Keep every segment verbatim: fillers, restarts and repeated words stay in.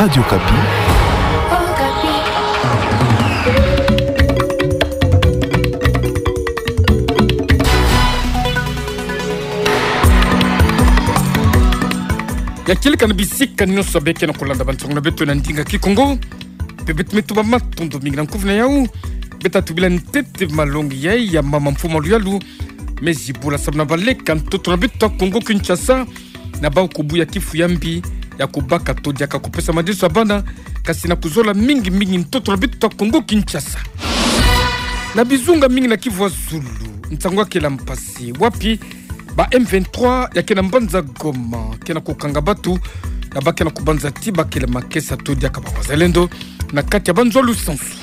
Radio Okapi. Ya kieleka na bisika nyonso beke na kolanda bansango na beto na ndinga Kikongo. Mpe beto me tuba matondo mingi na nkufi na yau. Beto tubila ntete malongi yai ya mama Mfumu Luyalu me zibula samu na baleke ya ntoto na beto ya Kongo Kinshasa, na bau kubuya kifu ya mbi ya kubaka to diaka kupesa madesu ya bana, kasi na kuzola mingi mingi ntoto na beto ya Kongo Kinshasa. Na bizunga mingi na Kivu ya Zulu, nsangu ya kele mpasi, wapi ba M vingt-trois ya ke na mbanza Goma ke na kukanga bato, ya ba ke na kubanza ti ba kele makesa to diaka ba wazalendo na kati ya banzo ya lusansu.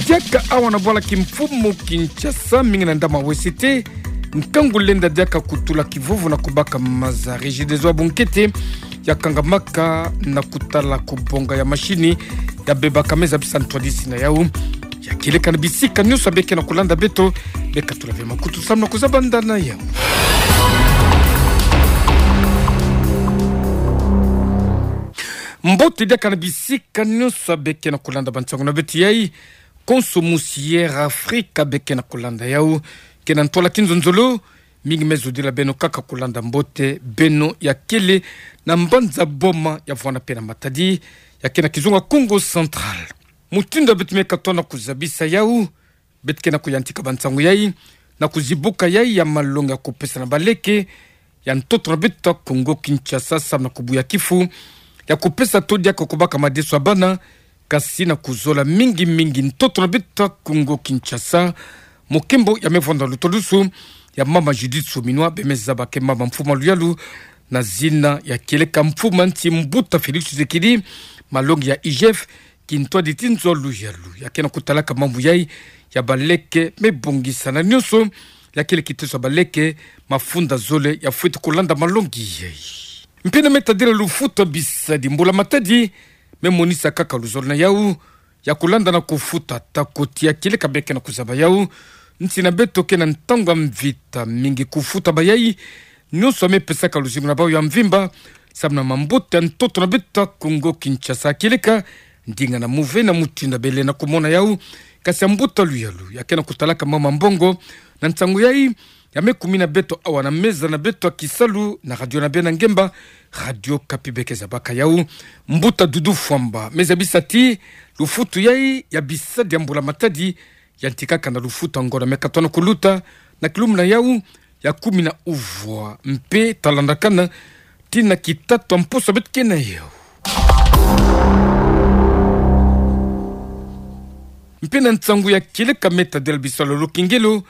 Diaka awa na bwala kimfumu Kinshasa, mingi na ndama wesete, nkangu lenda diaka kutula kivuvu na kubaka maza. Regideso ya bunkete ya kangamaka na kutala kubonga ya mashini ya bebaka, me zabisa ntwadisi na yau. Ya kieleka na bisika nyonso beke na kolanda beto, beka tula ve makutu samu na kuzaba nda na yau. Mbote diaka na bisika nyonso beke na kolanda bansango na beto yai. Konso musi Air Africa beke na kolanda yau. Ke na ntwala kinzonzolo, mingi me zodila beno kaka kolanda mbote, beno ya kele na mbanza Boma ya vwanda mpe na Matadi, ya ke na kizunga Kongo Central. Mutindu beto me katoa na kuzabisa yau, beto ke na kuyantika bansangu yai na kuzibuka yai ya malongi ya kupesa na baleke ya ntoto na beto ya Kongo Kinshasa samu na kubuya kifu ya kupesa to diaka kubaka madesu ya bana, kasi na kuzola mingi mingi ntoto na beto ya Kongo Kinshasa. Mokembo ya me vwanda lutwadusu ya mama Judith Suminwa, be me zaba ke mama Mfumu Luyalu, na zina ya kieleka mfumu ya nsi mbuta Félix Tshisekedi, malongi ya I G F, kintwadi ti nzo ya Luyalu ya ke na kutalaka mambu yai ya baleke me bongisana nyonso, ya kele kiteso ya baleke, mafunda zole ya fweti kulanda malongi yai. Mpe na me tadila lufuta bisadi, mbula matadi me monisa kaka luzolo na yau ya kulanda na kufuta tako ti ya kieleka beke na kuzaba yau. Nsi na beto ke na ntangu ya mvita mingi, kufuta bayai nyonso ya me pesaka luzingu na bau ya mvimba samu na mambote ya ntoto na beto ya Kongo Kinshasa, kieleka ndinga na muve na mutindu bele na kumona yau. Kasi ya mbuta Luyalu ya ke na kutalaka mama mbongo na nsangu yai ya me kumina beto awa na meza na beto ya kisalu na radio na beno ya ngemba, Radio Okapi, beke zabaka yau. Mbuta Doudou Fwamba me zabisa ti lufutu yai ya bisadi ya mbula matadi yantikaka na lufutu ya ngonda me katoa na kuluta na kilumbu na yau ya kumi na uvwa, mpe talandakana tii na kitatu ya mposo beto ke na yau. Mpe na nsangu ya kieleka me tadila bisalu ya lukengelo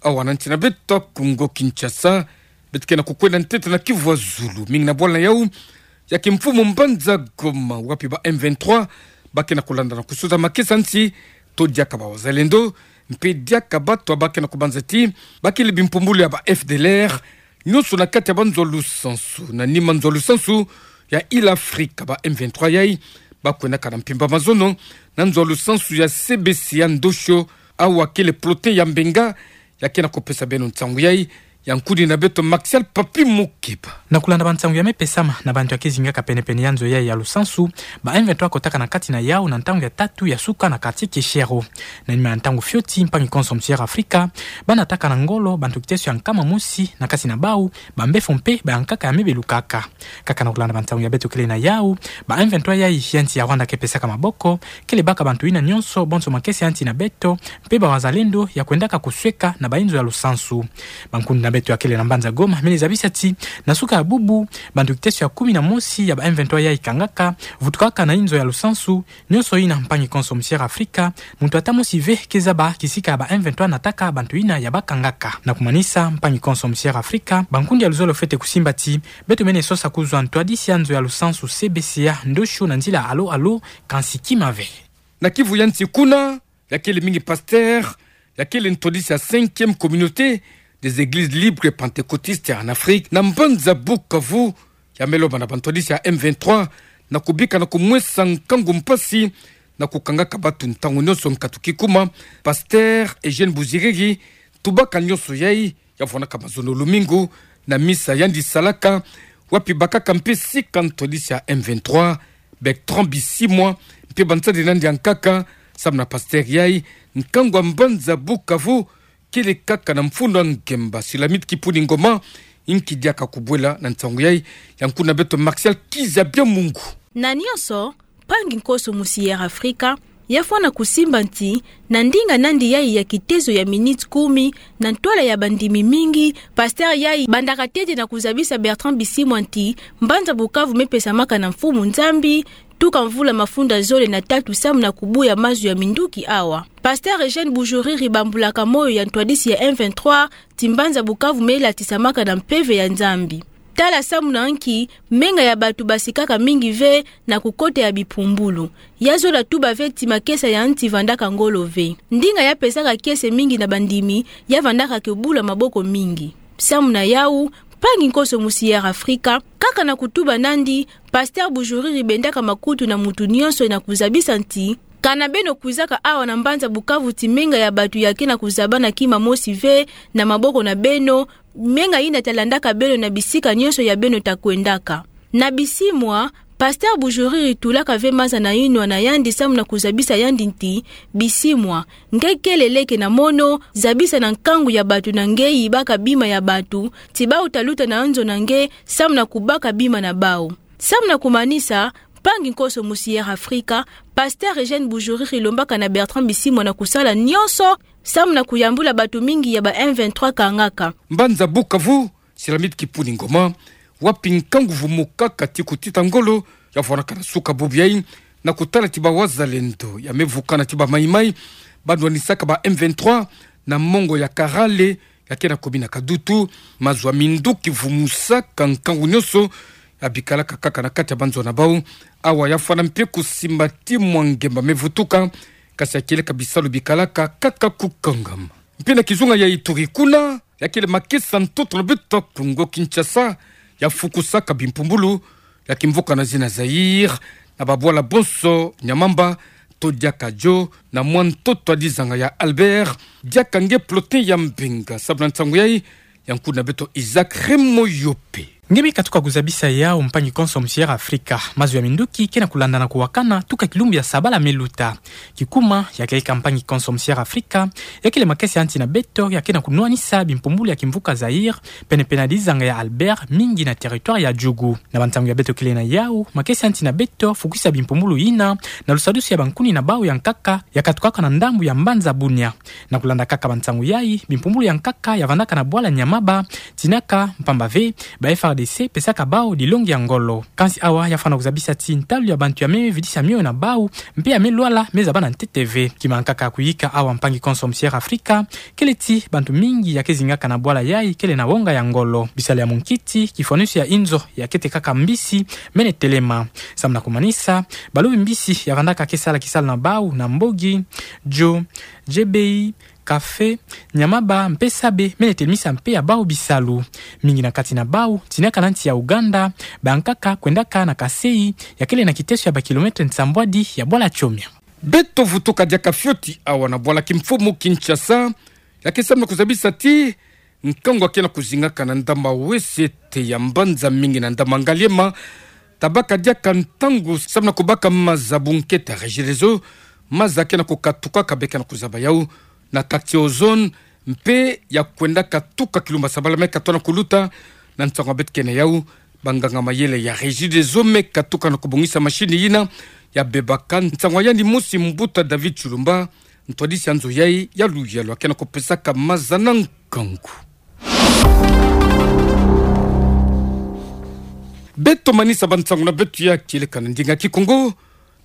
awa na nsi na beto ya Kongo Kinshasa, beto ke na kukwenda ntete na Kivu ya Zulu, mingi na bwala na yau ya kimfumu mbanza Goma, wapi ba M vingt-trois ba ke na kulanda na kusuza makesa nsi to diaka ba wazalendo, mpe diaka bato ba ke na kubanza ti ba kele bimpumbulu ya ba F D L R, nyonso na kati ya banzo ya lusansu. Na nima nzo ya lusansu ya Île Afrique, ba M vingt-trois yai ba kwendaka na mpimpa mazono na nzo ya lusansu ya C B C ya Ndosho, awa kele peloton ya Mbenga. Ya ke na kupesa beno nsangu yai ya nkudi na beto Maxial Papi Mukeba. Na kulanda bansangu ya me pesama na bantu ya ke zingaka penepene ya nzo yai ya lusansu, ba M vingt-trois kotaka na kati na yau na ntangu ya tatu ya suka na quartier Keshero. Na nima ya ntangu fioti, mpangi-konso musi Air Africa ba nataka na ngolo bantu kiteso ya nkama mosi, na kati na bau bambefo mpe bayankaka ya me belukaka. Kaka na kulanda bansangu ya beto kele na yau, ba M vingt-trois yai ya nsi ya Rwanda ke pesaka maboko, kele baka bantu yina nyonso bonso makesa ya nsi na beto mpe ba wazalendo ya kwendaka kusweka na bayi nzo ya lusansu. Bankundi na beto ya kele na mbanza Goma me ni zabisa ti na suka ya bubu, bantu kiteso ya kumi na mosi ya ba M vingt-trois yai kangaka, vutukaka na yi nzo ya lusansu. Nyonso yina mpangi-konso musi Air Africa, muntu ata mosi ve ke zaba kisika ya ba M vingt-trois nataka bantu yina ya ba kangaka. Na kumanisa, mpangi-konso musi Air Africa, bankundi ya luzolo fwete kusimba ti beto mene sosa kuzwa ntwadisi ya nzo ya lusansu C B C ya Ndosho na nzila alo alo, kansi kima ve. Na Kivu ya nsi kuna, ya kele mingi pasteur ya kele ntwadisi ya Cinquième Communauté des Églises Libres Pentecôtistes en Afrique na mbanza Bukavu, ya me lomba na bantwadisi ya M vingt-trois na kubika na kumwesa nkangu mpasi na kukangaka bato ntangu nyonso nkatu kikuma. Pasteur Eugène Buziriri, tubaka nyonso yai, ya vwanaka mazono lumingu na misa yandi salaka, wapi bakaka mpe sika ntwadisi ya M vingt-trois Bertrand Bisimwa, mpe bansari nandi ya nkaka, samu na pasteur yai, nkangu wa mbanza Bukavu, kele kaka na mfunu wa ngemba Silamit Kipuni Ngoma, inki diaka kubwela na nsangu yai, ya nkuna beto Martial Kizabia Mungu. Na nionso, mpangi nkoso mu Sierra Africa, yafwana kusimba nti, na ndinga nandi yai ya kitezo ya miniti kumi, na ntwala ya bandimi mingi, pasteur yai bandaka tete na kuzabisa Bertrand Bisimwa nti, mbanza Bukavu mepesamaka na Mfumu Nzambi, tuka mvula mafunda zole na tatu samu na kubuya mazu ya minduki awa. Pasteur Eugène Bujuriri bambulaka moyo ya ntwadisi ya M vingt-trois, ti mbanza Bukavu melatisamaka na mpeve ya Nzambi. Tala samu na nki, menga ya batu basikaka mingi ve na kukota ya bimpumbulu. Ya zola tuba ve ti makesa ya nti vandaka ngolo ve. Ndinga ya pesaka kiese mingi na bandimi, ya vandaka ke bula maboko mingi. Samu na yau, mpangi nkoso mu Sierra Africa, kaka na kutuba nandi, pasteur Bujuriri bendaka makutu na mutu nionso na kuzabisa nti, kana beno kwizaka awa na mbanza Bukavu ti menga ya batu ya ke na kuzabana kima mosi ve na maboko na beno, menga ina talandaka beno na bisika nionso ya beno ta kwendaka. Na Bisimwa, pasteur Bujuriri tulaka ve maza na inwa na yandi samu na kuzabisa yandi nti, Bisimwa, nge kele leke na mono, zabisa na nkangu ya batu na nge yibaka bima ya batu, ti bau taluta na nzo na nge, samu na kubaka bima na bau. Samu na kumanisa, mpangi nkoso mu Sierra Africa, pasteur Eugène Bujuriri lombaka na Bertrand Bisimwa na kusala nionso, samu na kuyambula batu mingi ya ba M vingt-trois kangaka. Mbanza Bukavu, Silamit Kipuni Ngoma, wapi nkangu vumukaka ti kutita ngolo, yafwanaka na suka bubu yai, na kutala ti bawazalendo, ya mevukana ti ba Mai-Mai, banwanisaka ba M vingt-trois, na mongo ya Karale, ya ke na komini ya Kadutu, mazu ya minduki vumusaka nkangu nionso, ya bikalaka kaka na kati ya banzo na bau, awa yafwana mpe kusimba ti mwa ngemba mevutuka, kasi ya kieleka bisalu bikalaka kaka kukangama. Mpe na kizunga ya Ituri kuna, ya kele makesa ntoto na beto Kongo Kinshasa, ya fukusaka bimpumbulu, ya kimvuka na zina Zaïre, na babwala bonso Nyamamba, to diaka Djo, na mwa ntoto ya dizanga ya Albert, diaka nge plotin ya Mbenga, samu na nsangu yai, ya nkuna beto Isaac Remoyope. Nge mi katuka kuzabisa yau mpangi konso mu Sierra Africa, mazu ya minduki ke na kulandana kuwakana, tuka kilumbu ya sabala meluta. Kikuma, ya kieleka mpangi konso mu Sierra Africa, ya kele makesa ya nti na beto, ya ke na kunwanisa bimpumbulu ya kimvuka Zaïre, pene-pene ya dizanga ya Albert, mingi na territoire ya Djugu. Na bansangu ya beto kele na yau, makesa ya nti na beto, fukusa bimpumbulu yina, na lusadusu ya bankuni na bau ya nkaka, ya katukaka na ndambu ya mbanza Bunia. Na kulanda kaka bansangu yai, bimpumbulu ya nkaka ya vandaka na bwala Nyamaba, tinaka mpamba ve, ba F A R D C pesaka bau dilongi ya ngolo. Kansi awa ya fwana kuzabisa ti ntalu ya bantu ya me vidisa mio na bau, mpe ya me lwala me zaba na ntete ve. Kima nkaka kuyika awa mpangi konso mu Sierra Africa, kele ti bantu mingi ya ke zingaka na bwala yai kele na wonga ya ngolo. Bisalu ya munkiti, kifwanusi ya inzo ya ke tekaka mbisi, mene telema. Samu na kumanisa, balobi mbisi ya vandaka ke sala kisalu na bau na mbogi, djo, djebei, kafe, Nyamaba, mpe sabe, mene telemisa mpe ya bau bisalu. Mingi na kati na bau, tinaka na nsi ya Ouganda, ba nkaka kwendaka na Kasaï, ya kele na kiteso ya ba kilomètre nsambwadi ya bwala Tchomia. Beto vutuka diaka fioti awa na bwala kimfumu Kinshasa, ya ke samu na kuzabisa ti, nkangu ya ke na kuzingaka na ndama wesete ya mbanza mingi na ndama Ngaliema, tabaka diaka ntangu samu na kubaka maza bunkete ya Regideso, maza ke na kukatukaka be ke na kuzaba yau, na quartier Ozone, mpe ya kwendaka tuka kilumbu ya sabala me katoa na kuluta, na nsangu ya beto ke na yau, banganga mayele ya Regideso me katuka na kubongisa machine yina, ya bebaka nsangu ya yandi mosi mbuta David Chilumba, ntwadisi ya nzo yai ya luyalu ya ke na kupesaka maza na nkangu. Beto manisa bansangu na beto ya kieleka na ndinga Kikongo,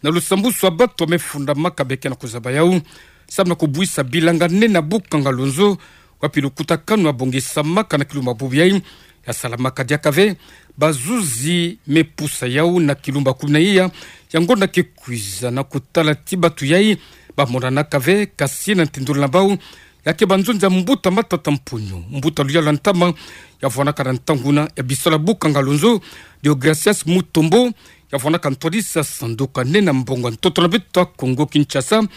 na lusambusu ya bato ya me fundamaka be ke na kuzaba yau, samu na kubwisa bilanga nene ya bukanga lonzo, wapi lukutakanu ya bongisamaka na kilumbu ya bubu yai, ya salamaka diaka ve, bazuzi me pusa yau na kilumbu ya kumi na iya, ya ngonda ke kwiza na kutala ti bato yai, ba monanaka ve, kasi na ntendolo na bau, ya ke banzonzi ya mbuta Matata Mponyo, mbuta luyalu ya ntama, ya vwanaka na ntangu na, ya bisalu ya bukanga lonzo, Deogracias Mutombo, ya vwanaka ntwadisi ya sanduku ya nene ya mbongo ya ntoto na beto ya Kongo Kinshasa,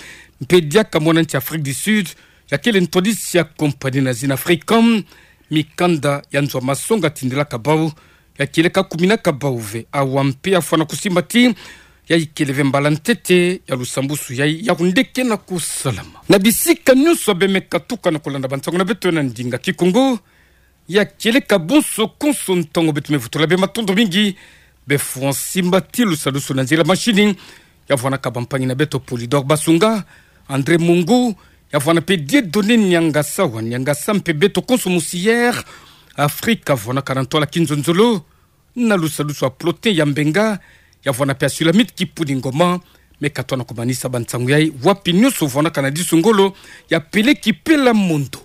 mpe diaka mwana nsi ya Afrique du Sud, ya kele ntwadisi ya compagnie na zina Africom, mikanda ya nzo ya masonga tindelaka bau, ya kieleka kuminaka bau ve, awa mpe ya fwana kusimba ti, Ya ikele ve mbala ntete ya lusambusu yai, ya kundeke na kusalama. Na bisika nyonso bemeka tuka na kulanda bansangu na beto na ndinga Kikongo, ya kieleka bonso konso ntangu beto mevutula be matondo mingi, be fuansi mbati lusalusu na nzila mashini, ya vwanaka bampangi na beto Polydor Basunga, André Mungu, ya vwana pe Dieudonné Niangasa wa Niangasa mpe beto konso musi Air Afrique, vwanaka na ntwala kinzonzolo, na lusalusu a Plotin ya Mbenga, ya vwana pe a Sulamite Kipuli Ngoma, me katona kumanisa bansangu yai, wapi nyonso vwanaka na disu ngolo, ya peleki pela mondo.